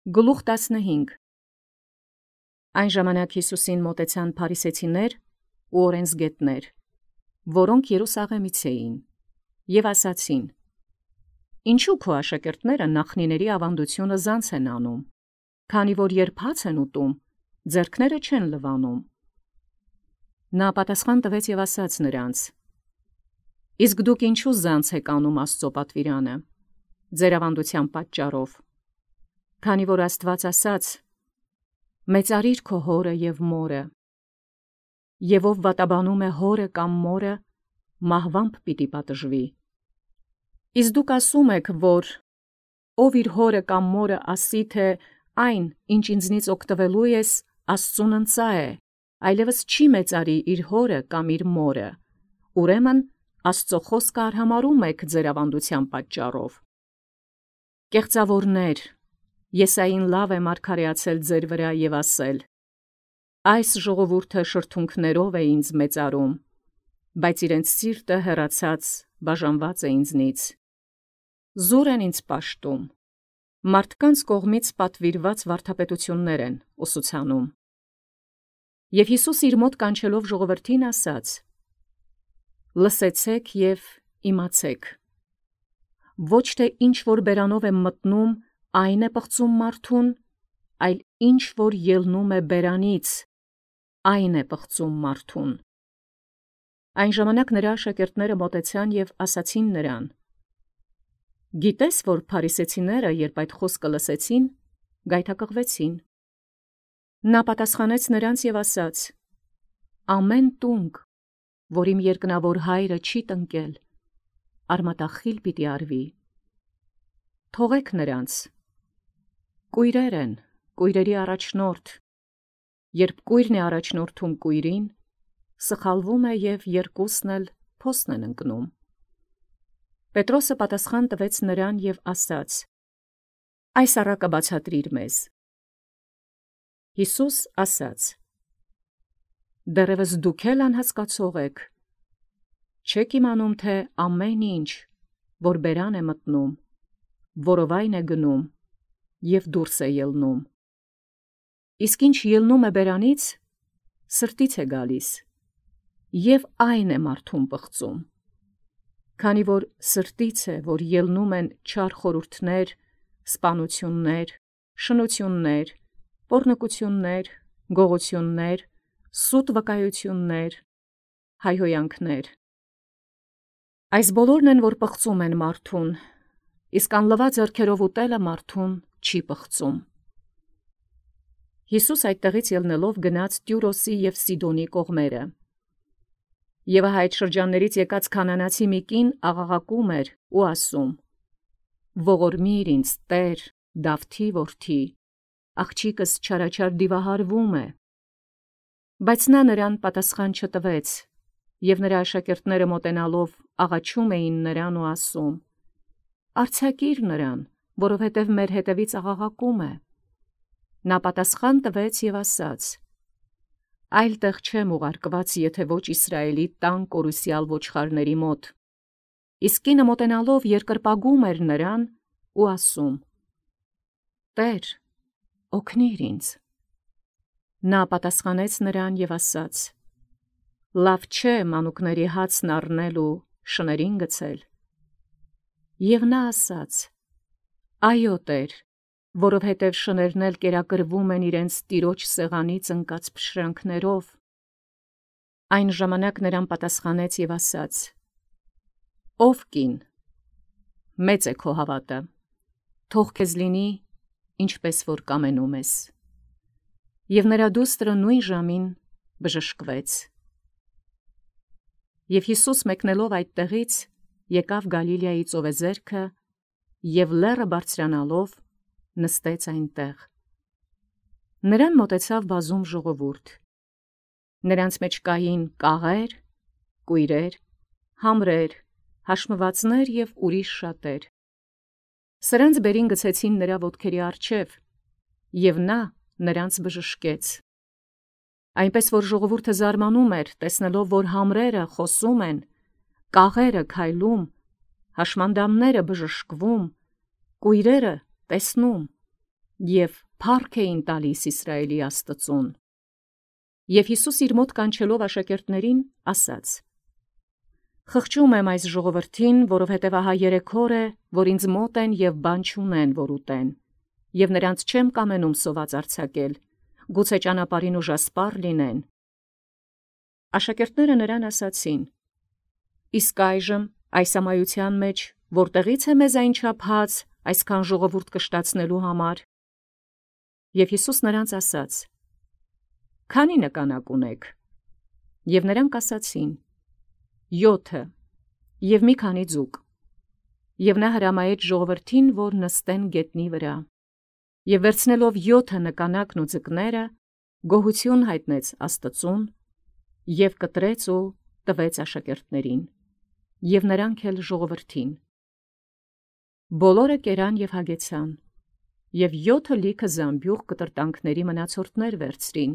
Գլուխ 15 Այն ժամանակ Յիսուսին մոտեցան փարիսեցիներ ու օրենսգետներ, որոնք Երուսաղեմից էին, և ասացին. Ինչու քո աշակերտները նախնիների ավանդությունը զանց են անում, քանի որ երբ հաց են ուտում, ձեռքները չեն լվանում։ Նա պատասխան տվեց և ասաց նրանց. Իսկ դուք ինչու զանց եք անում Աստծո պատվիրանը, ձեր ավանդության պատճառով, քանի որ Աստված ասաց. մեծարիր քո հորը և մորը, և ով վատաբանում է հորը կամ մորը, մահվամբ պիտի պատժվի։ Իսկ դուք ասում եք, որ ով իր հորը կամ մորը ասի, թե այն, ինչ ինձնից օգտվելու ես, Աստծուն ընծա է, այլևս չի մեծարի իր հորը կամ իր մորը, ուրեմն Աստծո խոսքը արհամարհում եք ձեր ավանդության պատճառով։ Կեղծավորներ, Եսային լավ է մարգարեացել ձեր վրա և ասել. այս ժողովուրդը շրթունքներով է ինձ մեծարում, բայց իրենց սիրտը հեռացած բաժանված է ինձնից։ Զուր են ինձ պաշտում, մարդկանց կողմից պատվիրված վարդապետություններ են ուսուցանում։ Եվ Յիսուս իր մոտ կանչելով ժողովրդին ասաց. լսեցեք և իմացեք. ոչ թե ինչ որ բերանով է մտնում, այն է պղծում մարդուն, այլ ինչ որ ելնում է բերանից, այն է պղծում մարդուն։ Այն ժամանակ նրա աշակերտները մոտեցան և ասացին նրան. գիտես, որ փարիսեցիները, երբ այդ խոսքը լսեցին, գայթակղվեցին։ Նա պատասխանեց նրանց և ասաց. ամեն տունգ, որ իմ երկնավոր հայրը չի տնկել, արմատախիլ պիտի արվի։ Թողեք նրանց, կույրեր են, կույրերի առաջնորդ, երբ կույրն է առաջնորդում կույրին, սխալվում է և երկուսն էլ փոսն են ընկնում։ Պետրոսը պատասխան տվեց նրան և ասաց. այս առակը բացատրիր մեզ։ Յիսուս ասաց. դեռևս դուք էլ անհասկացող եք, չեք իմանում, թե ամեն ինչ, որ բերան է մտնում, որովայն է գնում, և դուրս է ելնում։ Իսկ ինչ ելնում է բերանից, սրտից է գալիս, և այն է մարդուն պղծում։ Քանի որ սրտից է, որ ելնում են չար խորհուրդներ, սպանություններ, շնություններ, պոռնկություններ, գողություններ, սուտ վկայություններ, հայհոյանքներ։ Այս բոլորն են, որ պղծում են մարդուն, իսկ անլվա ձեռքերով ուտելը մարդուն չի պղծում։ Յիսուս այդտեղից ելնելով գնաց Տյուրոսի և Սիդոնի կողմերը։ Եվ ահա այդ շրջաններից եկած քանանացի մի կին աղաղակում էր ու ասում. ողորմիր ինձ, Տեր, Դավթի որդի, աղջիկս չարաչար դիվահարվում է։ Բայց նա նրան պատասխան չտվեց, և նրա աշակերտները մոտենալով աղաչում էին նրան ու ասում. արձակիր նրան, որովհետև մեր հետևից աղաղակում է։ Նա պատասխան տվեց և ասաց. այլ տեղ չեմ ուղարկված, եթե ոչ Իսրայելի տան կորուսյալ ոչխարների մոտ։ Իսկ կինը մոտենալով երկրպագում էր նրան ու ասում. Տեր, օգնիր ինձ։ Նա պատասխանեց նրան և ասաց. լավ չէ մանուկների հացն առնել ու շներին գցել։ Եվ նա ասաց. այո, Տեր, որովհետև շներն էլ կերակրվում են իրենց տիրոջ սեղանից ընկած փշրանքներով։ Այն ժամանակ նրան պատասխանեց և ասաց. ով կին, մեծ է քո հավատը, թող քեզ լինի, ինչպես որ կամենում ես։ Եվ նրա դուստրը նույն ժամին բժշկվեց։ Եվ Յիսուս մեկնելով այդտեղից եկավ Գալիլեայի ծովեզերքը և լեռը բարձրանալով նստեց այնտեղ։ Նրան մոտեցավ բազում ժողովուրդ։ Նրանց մեջ կային կաղեր, կույրեր, համրեր, հաշմվածներ և ուրիշ շատեր։ Սրանց բերին գցեցին նրա ոտքերի առջև, և նա նրանց բժշկեց։ Այնպես որ ժողովուրդը զարմանում էր, տեսնելով, որ համրերը խոսում են, կաղերը քայլում, հաշմանդամները բժշկվում, կույրերը տեսնում, և փառք էին տալիս Իսրայելի Աստծուն։ Եվ Յիսուս իր մոտ կանչելով աշակերտներին ասաց. «Խղճում եմ այս ժողովրդին, որովհետև ահա 3 օր է, որ ինձ մոտ են և բան չունեն, որ ուտեն, և նրանց չեմ կամենում սոված արձակել, գուցե ճանապարհին ուժասպառ լինեն»։ Աշակերտները նրան ասացին. «Իսկ այժմ այս ամայության մեջ որտեղի՞ց է մեզ այնչափ հաց այսքան ժողովուրդ կշտացնելու համար»։ Եվ Յիսուս նրանց ասաց. «Քանի՞ նկանակ ունեք»։ Եվ նրանք ասացին. 7, և մի քանի ձուկ։ Եվ նա հրամայեց ժողովրդին, որ նստեն գետնի վրա։ Եվ վերցնելով 7 նկանակն ու ձկները, գոհություն հայտնեց Աստծուն, և կտրեց ու տվեց աշակերտներին, և նրանք էլ ժողովրդին։ Բոլորը կերան և հագեցան, և 7 լիքը զամբյուղ կտրտանքների մնացորդներ վերցրին։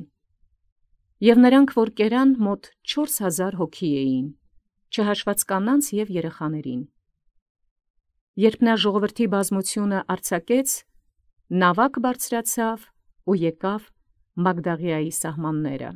Եվ նրանք, որ կերան, մոտ 4000 հոգի էին, չհաշված կանանց և երեխաներին։ Երբ նա ժողովրդի բազմությունը արձակեց, նավակ բարձրացավ ու եկավ Մագդաղիայի սահմանները։